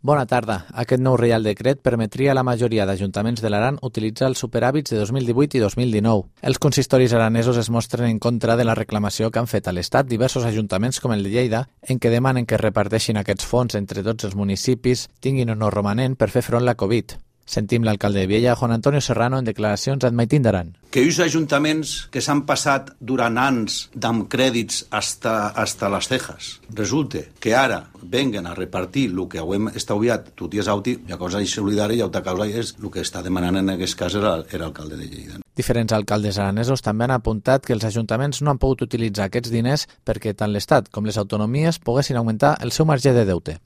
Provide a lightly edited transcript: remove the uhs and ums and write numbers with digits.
Bona tarda. Aquest nou Reial Decret permetria a la majoria d'ajuntaments de l'Aran utilitzar els superàvits de 2018 i 2019. Els consistoris aranesos es mostren en contra de la reclamació que han fet a l'Estat diversos ajuntaments com el de Lleida, en què demanen que es reparteixin aquests fons entre tots els municipis, tinguin o no romanent, per fer front a la Covid. Sentim l'alcalde de Viella, Juan Antonio Serrano, en declaracions al Maitín d'Aran. Que uns ajuntaments que s'han passat durant anys amb crèdits hasta les cejas, resulta que ara venguen a repartir el que hem estalviat tot i és auti, la cosa és solidària i altra causa és el que està demanant en aquest cas era l'alcalde de Lleida. Diferents alcaldes aranesos també han apuntat que els ajuntaments no han pogut utilitzar aquests diners perquè tant l'Estat com les autonomies poguessin augmentar el seu marge de deute.